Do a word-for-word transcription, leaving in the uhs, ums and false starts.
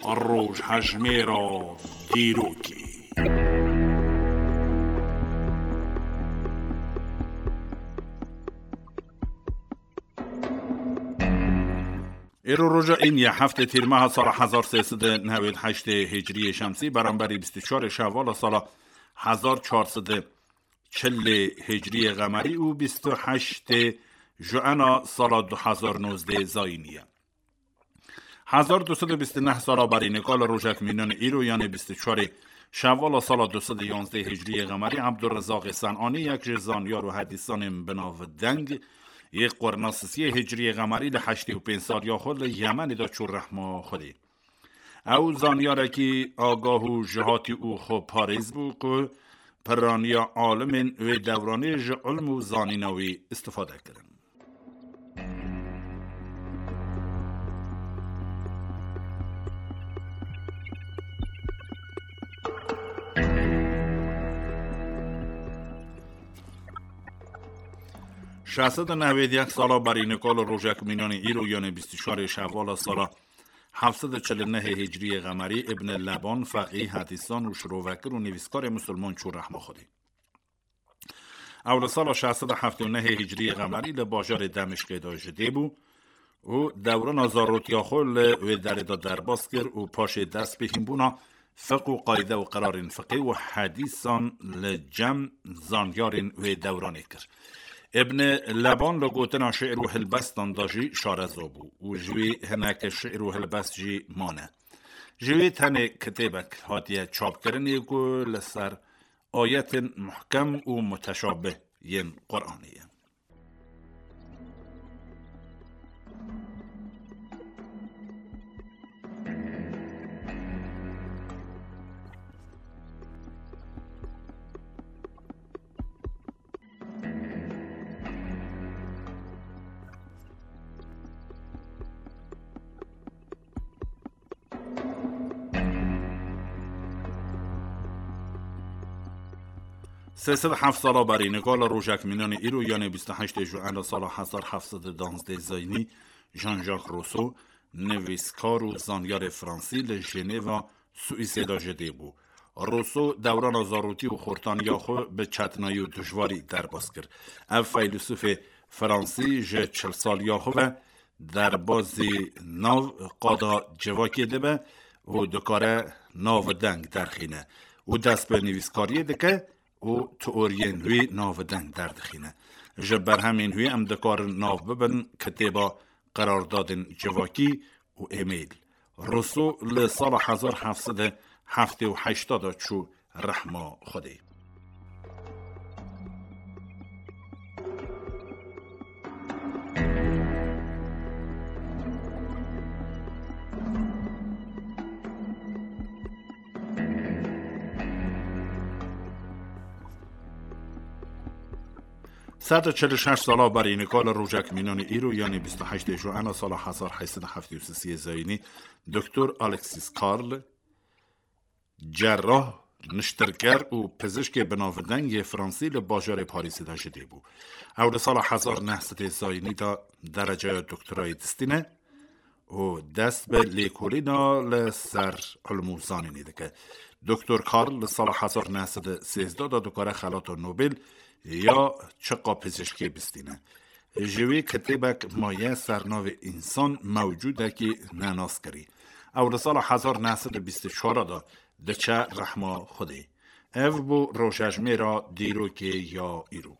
Rojhejmêra dîrokê. Îro roja Îniye heftê Tîrmeha sala hezar sê sed û newêd heştê Hicriyê Şemsî, beramberî bîst û çarê Şewvala sala hezar çar sed û çilê Hicriyê Qemerî û bîst û heştê Juena sala du hezar nozdeh Zayînî ye. Hezar du sed û bîst û neh sala berî nika li rojek mînan îro, yanê bîst û çarê Şewvala sala du sed û yanzdeh Hicriyê Qemerî, Ebdurrezaqê Senanî, yek ji zanyar û hedîsanên binavdeng yê qurna sisiyê Hicriyê Qemerî, li heştê û pênc saliya xwe li Yemenê de çû rehma Xwedê. Ew zanyarekî agah û jihatî û xweparêz bû ku piraniya alimên wê dewranê ji ilm û zanîna wî istifade kirin. Şeş sed û newêd yek sala berî nika li rojek mînanê îro, yanê bîst û çarê Şewvala sala heft sed û çil û nehê Hicriyê Qemerî, Ibn Leban, feqî, hedîsan û şirovekir û nivîskarê misilman çû rehma Xwedê. Ew li sala şeş sed û heftê û nehê Hicriyê Qemerî li bajarê Demişqê de ji dê bû û dewrana zarotiya xwe li wê derê de derbas kir û paşê dest bi hînbûna fiq û qayde û qerarên fiqê û hedîsan li cem zanyarên wê dewranê kir. Ibn Leban li gotina şi'r û hilbestan de jî şareza bû û ji wê hineke şi'r û hilbest jî mane. Ji wê tenê kitêbek hatiye çapkirinê ku li ser ayetên muhkem û muteşabih yên Quranê ye. Sê sed heft sala berî nika li rojek mînanê îro, yanê bîst û heştê Juena sala hezar heft sed û duwazdeh Zayînî, Jean-Jacques Rousseau, nivîskar û zanyarê fransî, li Jenêva Swîsê de ji dê bû. Rousseau dewrana zarotî û xortaniya xwe bi çetinayî û dijwarî derbas kir. Ev feylesûfê fransî ji çil saliya xwe ve derbazî nav qada civakê dibe û dikare nav deng derxîne û dest bi nivîskariyê dike û teoriyên wî nav deng derdixîne. Ji berhemên wî em dikarin nav bibin kitêba Qerardadên Civakî û Êmêl. Rousseau li sala hezar heft sed û heftê û heşt de çû rehma Xwedê. Sed û çil û şeş sala berî nika li rojek mînanê îro, yanî bîst û heştê Juena sala hezar heyt sed û heftê û sisê Zayînî, Doktor Alexis Karl, cerrah, niştirker û pizişkê binavdeng yê fransî li bajarê Parîsê de ji dê bû. Ew li sala hezar neh sedê Zayînî de dereceya doktorayê distîne û dest bi lêkolîna li ser ilm û zanînê dike. Doktor Karl li sala hezar neh sed û sêzdeh de dikare xelata Nobel ya çiqa pizişkê bistîne. Ji wî kitêbek maye ser navê Însan mewcûdekî nenaskirî. Ew li sala hezar neh sed û bîst û çar de diçe rehma Xwedê. Ev bû rojejmêra dîrokê ya îro.